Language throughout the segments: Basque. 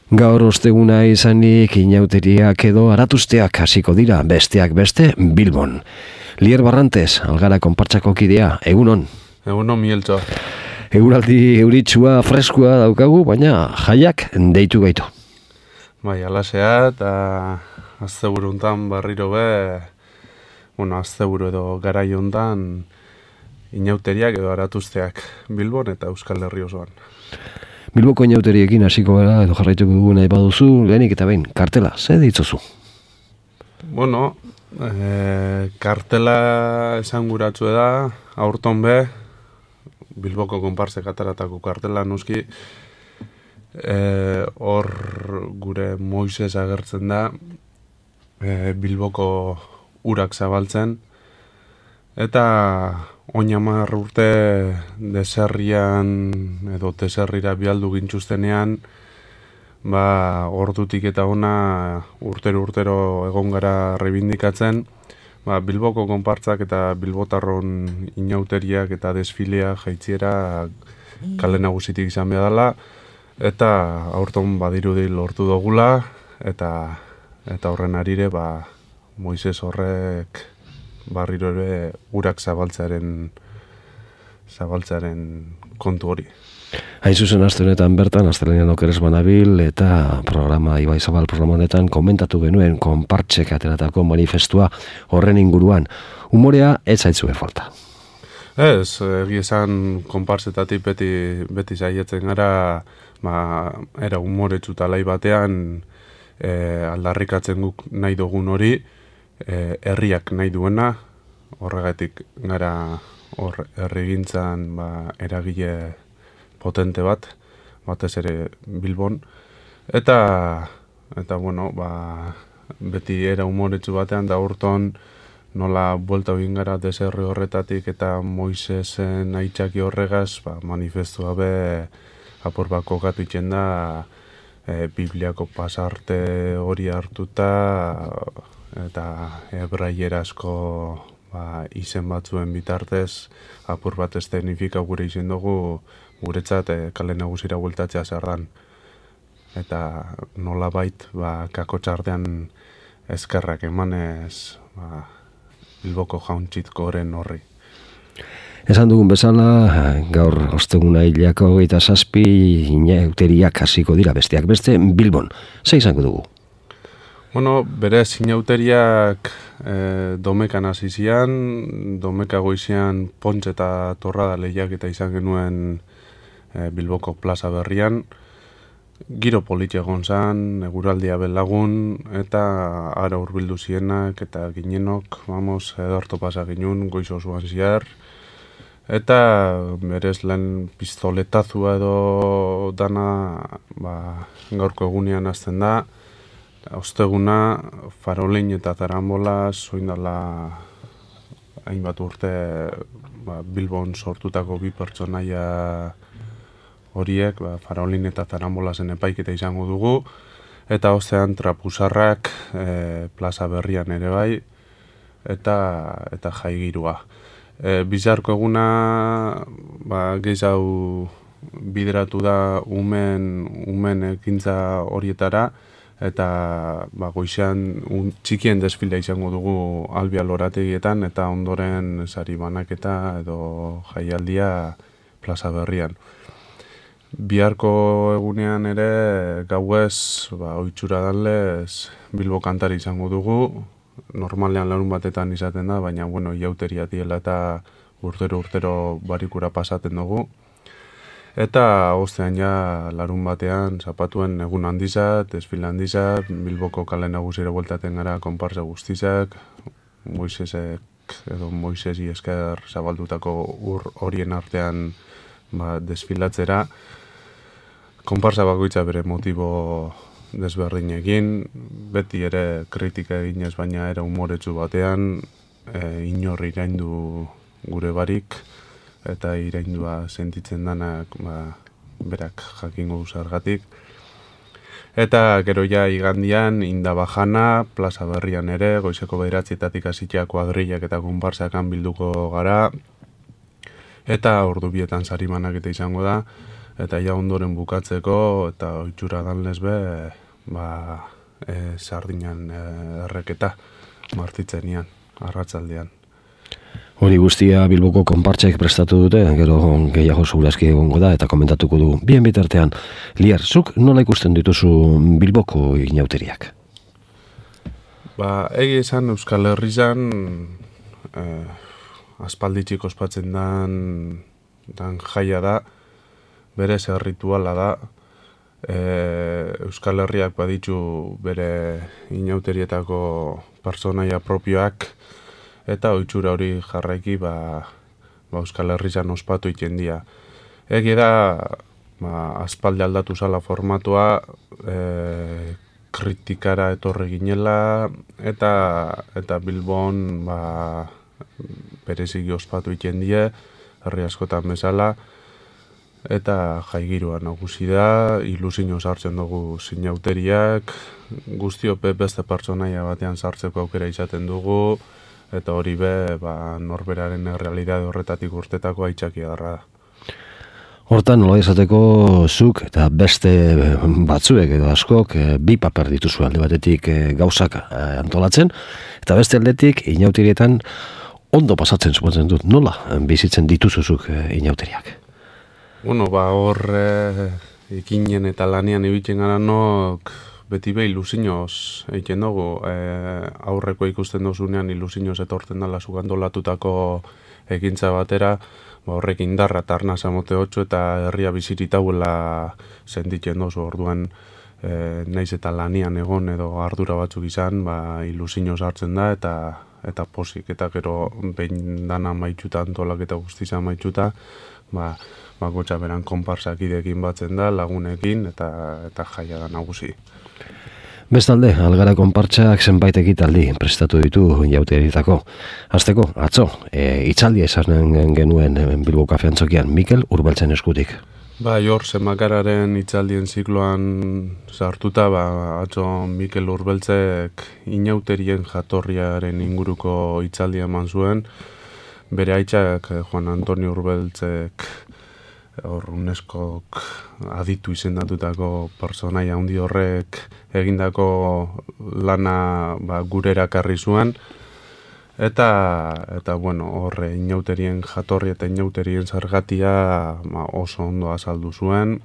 Gaur osteguna izanik inauteriak edo aratusteak hasiko dira, besteak beste Bilbon. Lier Barrantes, Algara konpartsako kidea, egunon. Egunon, Mieltxo. Eguraldi euritsua, freskua daukagu, baina jaiak deitu gaitu. Bai, alasea eta asteburu hontan berriro asteburu edo garai hontan inauteriak edo aratusteak Bilbon eta Euskal Herri osoan. Bilboko inauteriekin hasiko gara edo jarraituko dugu nahi baduzu, lehenik eta behin, kartela, ze ditzuzu? Kartela esanguratsu da, aurton Bilboko konparsek ataratako kartela noski, hor gure Moises agertzen da, Bilboko urak zabaltzen, eta oinamar urte deserrian edo deserrira bialdu gintxustenean, ordutik eta ona urtero egon gara rebindikatzen, Bilboko konpartzak eta bilbotarron inauteriak eta desfilea jaitziera kale nagusitik izan behar dela, eta aurton badirudi lortu dugula, eta horren arire Moises horrek barriro ere urak zabaltzearen kontu hori. Hain zuzen aste honetan bertan, astelenean okeres banabil, eta Ibai Zabal programa honetan komentatu genuen konpartsek ateratako manifestua horren inguruan. Humorea ez zaitzue falta. Ez, egia esan konpartsetatik beti saietzen gara, era humoretsu talai batean aldarrikatzen guk nahi dugun hori, herriak nahi duena, horregatik gara hor herrigintzan eragile potente batez ere Bilbon, eta beti era humoretsu batean da urton nola buelta egin gara deserri horretatik eta Moisesen aitzaki horregaz, manifestua apur bat kokatu itzen da, Bibliako pasarte hori hartuta, eta hebraierazko izen batzuen bitartez, apur bat eszenifika gure izen dugu, guretzat kale nagusira bueltatzea zer dan. Eta nola bait, kakotxartean eskerrak emanez Bilboko jauntxitko horren horri. Esan dugun bezala, gaur osteguna hilako 27 inauteriak hasiko dira, besteak beste Bilbon. Ze izango dugu? Berez inauteriak domekan hasi zian, domeka goizean Pontxe eta Torrada lehiak eta izan genuen Bilboko plaza berrian. Giro politxe egon zan, eguraldia belagun, eta ara hurbildu zienak eta ginenok, edorto pasa ginen, goiz osoan ziar. Eta berez lehen pistoletazua edo dana gaurko egunean hasten da. Osteguna, Farolin eta Zarambola soindala hainbat urte Bilbon sortutako bi pertsonaia horiek, Farolin eta Zarambolasen epaiketa izango dugu, eta ostean trapusarrak plaza berrian ere bai, eta jaigirua. Bizarko eguna gehiago bideratu da umen ekintza horietara, eta goizean txikien desfilea izango dugu Albia lorategietan, eta ondoren sari banaketa edo jaialdia plaza berrian. Biharko egunean ere gauez, ohitura danlez Bilbo kantari izango dugu, normalean larun batetan izaten da, baina iauteria diela eta urtero barikura pasaten dugu. Eta ostean larun batean zapatuen egun handizat, desfile handizat, Bilboko kale nagusira bueltaten gara konparsa guztizak, Moisesi esker zabaldutako ur horien artean desfilatzera. Konparsa bakoitza bere motibo desberdinekin, beti ere kritika eginez baina era humoretsu batean, inor iraindu gure barik, eta iraindua sentitzen danak berak jakingo zergatik. Eta gero igandian Indabajana, plaza berrian ere, goizeko 9:00 hasita kuadrillak eta konparsakan bilduko gara, eta ordu bietan sarimanak eta izango da, eta ja ondoren bukatzeko, eta oitxura danlez be, sardinan erreketa martitzenian, arratzaldean. Hori guztia Bilboko konpartsek prestatu dute, gero gehiago segurazki egongo da, eta komentatuko du. Bien bitartean, Liar, zuk nola ikusten dituzu Bilboko inauteriak? Egi esan Euskal Herrian, aspalditxik ospatzen dan jaia da, berez errituala da, Euskal Herriak baditu bere inauterietako personaia propioak, eta oitxura hori jarraiki Euskal Herrian ospatu ikendia. Egi da, aspaldi aldatu zala formatua, kritikara etorre ginela, eta Bilbon bereziki ospatu ikendie, herri askotan bezala, eta jaigirua nagusi da, ilusio sartzen dugu sinauteriak, guztiope beste pertsonaia batean sartzeko aukera izaten dugu, eta hori norberaren errealidade horretatik urtetako aitzakia darra da. Hortan, nola esateko zuk eta beste batzuek edo askok bi paper dituzu alde batetik gauzak antolatzen, eta beste aldetik inauterietan ondo pasatzen suposatzen dut. Nola bizitzen dituzuzuk inauteriak? Hor ikinen eta lanian ibitzen gara nok beti ilusinoz egiten dugu. Aurreko ikusten dozunean ilusinoz etortzen dela zugandolatutako ekintza batera, horrek indarra eta arnasa mote 8 eta herria biziritauela sentitzen dozu. Orduan naiz eta lanian egon edo ardura batzuk izan, ilusinoz hartzen da eta posik. Eta gero behin dana maitxuta, antolak eta guztiza maitxuta, bakotxa beran konparsak idekin batzen da, lagunekin eta jaia da nagusi. Bestalde, Algara konpartsak zenbait ekitaldi prestatu ditu inauterietako. Hasteko, atzo, hitzaldia esanen genuen Bilbo Kafe Antzokian, Mikel Urbeltzen eskutik. Hor zenbakararen hitzaldien zikloan sartuta, atzo Mikel Urbeltzek inauterien jatorriaren inguruko hitzaldia eman zuen. Bere aitzak Juan Antonio Urbeltzek UNESCOk aditu izendatutako personaia handi horrek egindako lana gure erakarri zuen, eta horre inauterien jatorri eta inauterien zergatia oso ondo azaldu zuen.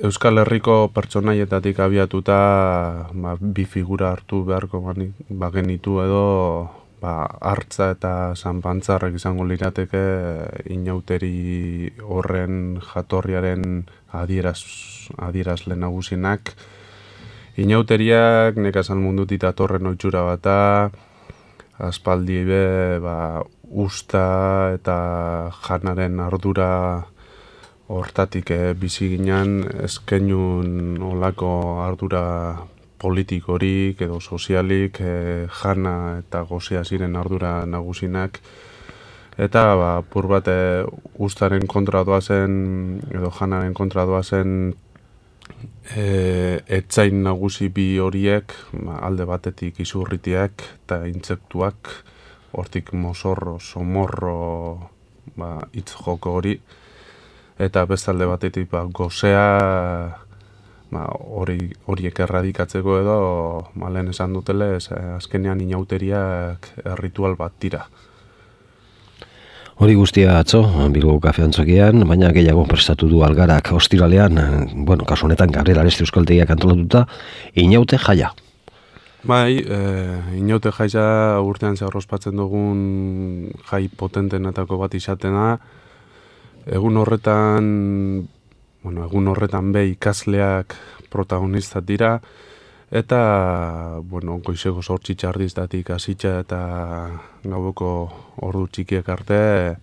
Euskal Herriko pertsonaietatik abiatuta bi figura hartu beharko bagenitu edo hartza eta sanpantzarrek izango lirateke inauteri horren jatorriaren adierazle nagusinak. Inauteriak nekazal mundutik datorren ohitura bata, aspaldi usta eta janaren ardura hortatik bizi ginen, eskenun olako ardura politikorik edo sozialik, jana eta gozea ziren ardura nagusinak, eta pur bat ustaren kontra doazen edo janaren kontra doazen etzain nagusi bi horiek, alde batetik izurritiak eta intsektuak, hortik mozorro, somorro hitz joko hori, eta bestalde batetik gozea horiek erradikatzeko edo, lehen esan dutele, azkenean inauteriak ritual bat dira. Hori guztia atzo, Bilbo Kafe Antzokian, baina gehiago prestatu du Algarak ostiralean, kasu honetan Gabriel Aresti euskaltegiak antolatuta, inaute jaia. Inaute jaia urtean zehar ospatzen dugun jai potentenetako bat izatena. Egun horretan ikasleak protagonista dira, eta goizeko 8 txardiztatik hasitza eta gaueko ordu txikiek arte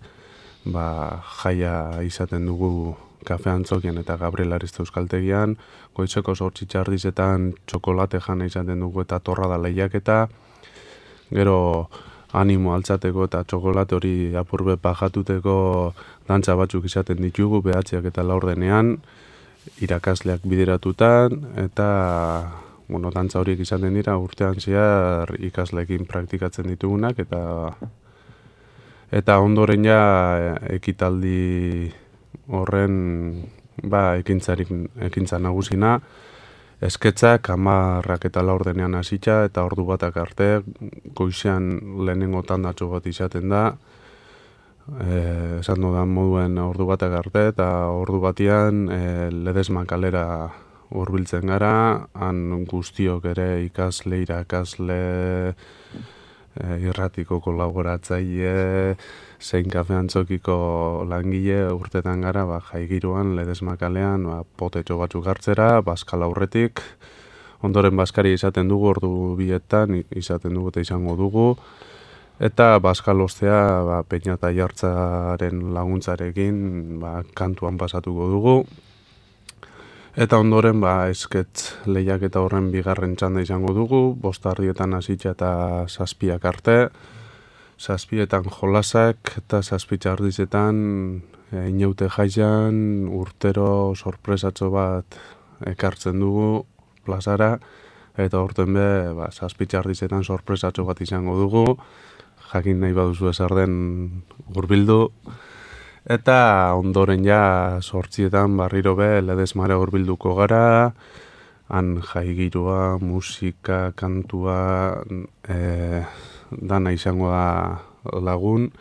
jaia izaten dugu Kafe Antzokian eta Gabriel Ariste euskaltegian. Goizeko 8 txardizetan txokolate jana izaten dugu eta torrada lehiaketa, gero animo altzateko eta txokolate hori apurbe pajatuteko dantza batzuk izaten ditugu, 9 eta 4 irakasleak bideratutan, eta dantza horiek izaten dira urtean zehar ikasleekin praktikatzen ditugunak, eta ondoren ja ekitaldi horren ekintza nagusina, esketzak 10:00 hasita eta ordu batak arte, goizean lehenengo tandatxo bat izaten da, esan dudan moduen ordu batak arte, eta ordu batian Ledesma kalera hurbiltzen gara, han guztiok ere irakasle, irratiko kolaboratzaile, zein kafe antzokiko langile urtetan gara, jaigiruan, Ledesma kalean, potetxo batzuk hartzera, Baskal aurretik, ondoren Baskari izaten dugu, ordu bietan izaten dugu eta izango dugu, eta Baskal ostea, Peña eta Jartzaren laguntzarekin, kantuan pasatuko dugu, eta ondoren, esketz lehiak eta horren bigarren txanda izango dugu, 5:00 hasitza eta 7:00 arte, 7:00 jolasak eta 7:30 inaute jaian urtero sorpresatxo bat ekartzen dugu plazara, eta horten 7:30 sorpresatxo bat izango dugu, jakin nahi baduzu ezer den hurbildu. Eta ondoren 8:00 barriro Ledesmara hurbilduko gara, han jaigirua, musika, kantua, dana izango da lagun,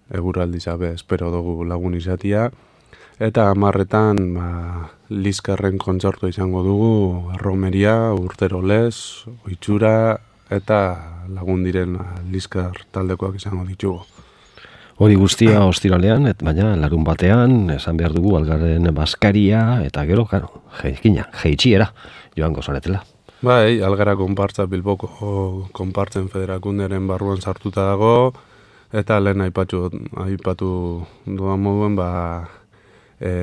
eguraldi espero dugu lagun izatia, eta 10:00 Liskarren kontzertu izango dugu, romeria, urtero lez, ohitura, eta lagun diren Liskar taldekoak izango ditugu. Hori guztia ostiralean, baina larun batean, esan behar dugu Algarren Baskaria, eta gero, jeitxiera, joango zaretela. Bai, Algara konpartza Bilboko konpartzen federakunderen barruan sartuta dago, eta lehen aipatu duan moduen,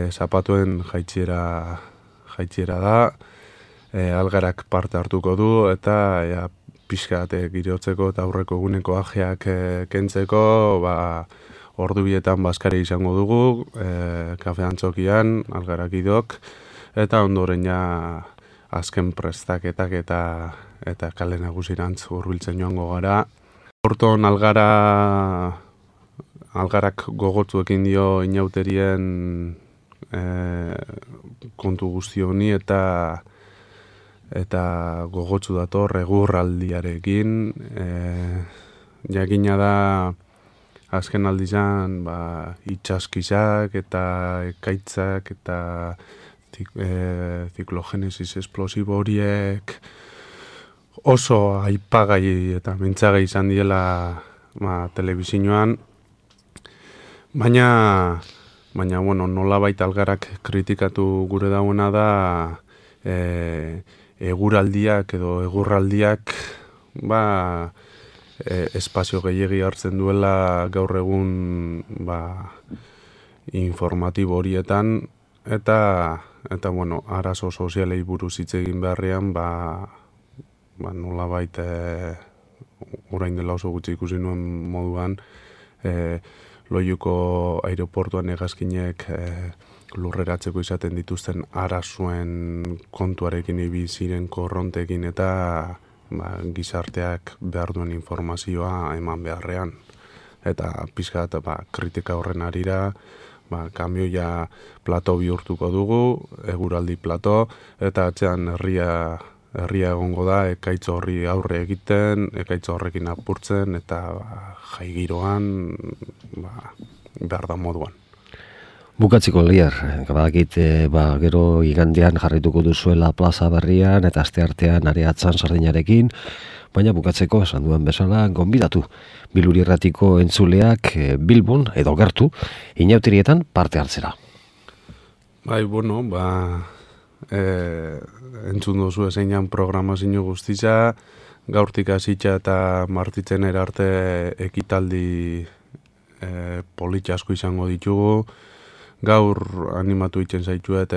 zapatuen jaitxiera da, Algarak parte hartuko du, eta pixkat girotzeko eta aurreko eguneko ajeak kentzeko, ordu bietan Baskari izango dugu, kafe antzokian, Algarak idok, eta ondoren azken prestaketak eta kale nagusirantz hurbiltzen joango gara. Horton Algarak gogotzuekin dio inauterien kontu guzti honi, eta gogotsu dator egurraldiarekin. Jakina da azken aldizan itxaskizak eta ekaitzak eta ziklogenesis esplosibo horiek oso aipagai eta mintzagai izan diela telebizioan, baina nolabait Algarak kritikatu gure dauena da eguraldiak edo egurraldiak espazio gehiegi hartzen duela gaur egun informatibo horietan, eta arazo sozialei buruz hitz egin beharrean nolabait orain dela oso gutxi ikusi nuen moduan Loiuko aireportuan hegazkinek lurreratzeko izaten dituzten arazoen kontuarekin ibili ziren korrontekin eta gizarteak behar duen informazioa eman beharrean. Eta pixkat kritika horren arira, kamioia plato bihurtuko dugu, eguraldi plato, eta atzean herria egongo da, ekaitz horri aurre egiten, ekaitz horrekin apurtzen, eta jaigiroan behar da moduan. Bukatziko Lier, badakit gero igandean jarrituko duzuela plaza berrian eta asteartean Areatzan Sardinarekin, baina bukatzeko esan duen bezala gonbidatu Biluri Irratiko entzuleak Bilbon edo gertu inauterietan parte hartzera. Bai, entzun duzu ezeinan programazio guztitza, gaurtik hasitza eta martitzen arte ekitaldi politxe asko izango ditugu. Gaur animatu itzen zaituet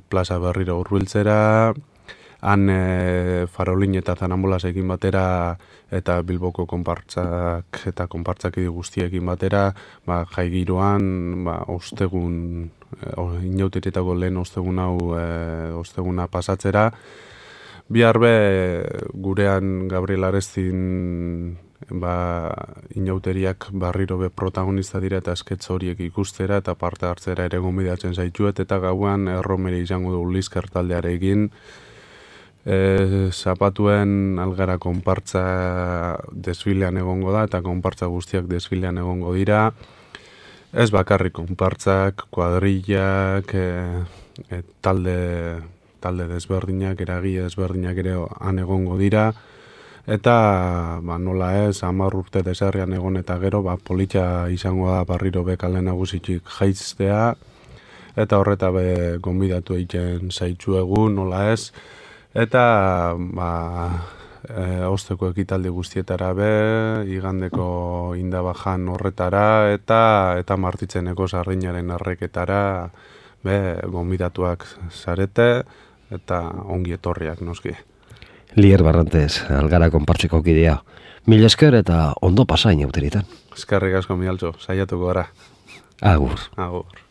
plaza berriro hurbiltzera, han Farolin eta Zanamolasekin batera eta Bilboko konpartzak eta konpartzak guztiekin batera, jaigiroan ostegun, inauterietako lehen osteguna pasatzera. Bihar gurean Gabriel Arestin inauteriak barriro be protagonista dira eta esketz horiek ikustera eta parte hartzera ere gonbidatzen zaituet, eta gauan erromere izango du Lizker taldearekin. Zapatuen Algara konpartza desfilean egongo da, eta konpartza guztiak desfilean egongo dira. Ez bakarrik konpartzak, kuadrillak, talde desberdinak, eragile desberdinak ere han egongo dira. Eta nola ez, 10 urte deserrian egon eta gero, politxa izango da barriro be kale nagusitik jaiztea, eta horreta be gonbidatu egiten zaitzuegu, nola ez. Eta osteko ekitaldi guztietara be, igandeko indabajan horretara, eta martitzeneko sardinaren arreketara be gonbidatuak zarete, eta ongi etorriak noski. Lier Barrantes, Algara konpartzeko kidea. Mil esker eta ondo pasain auteritan. Eskerrik asko Mialtxo, saiatuko gara. Agur. Agur.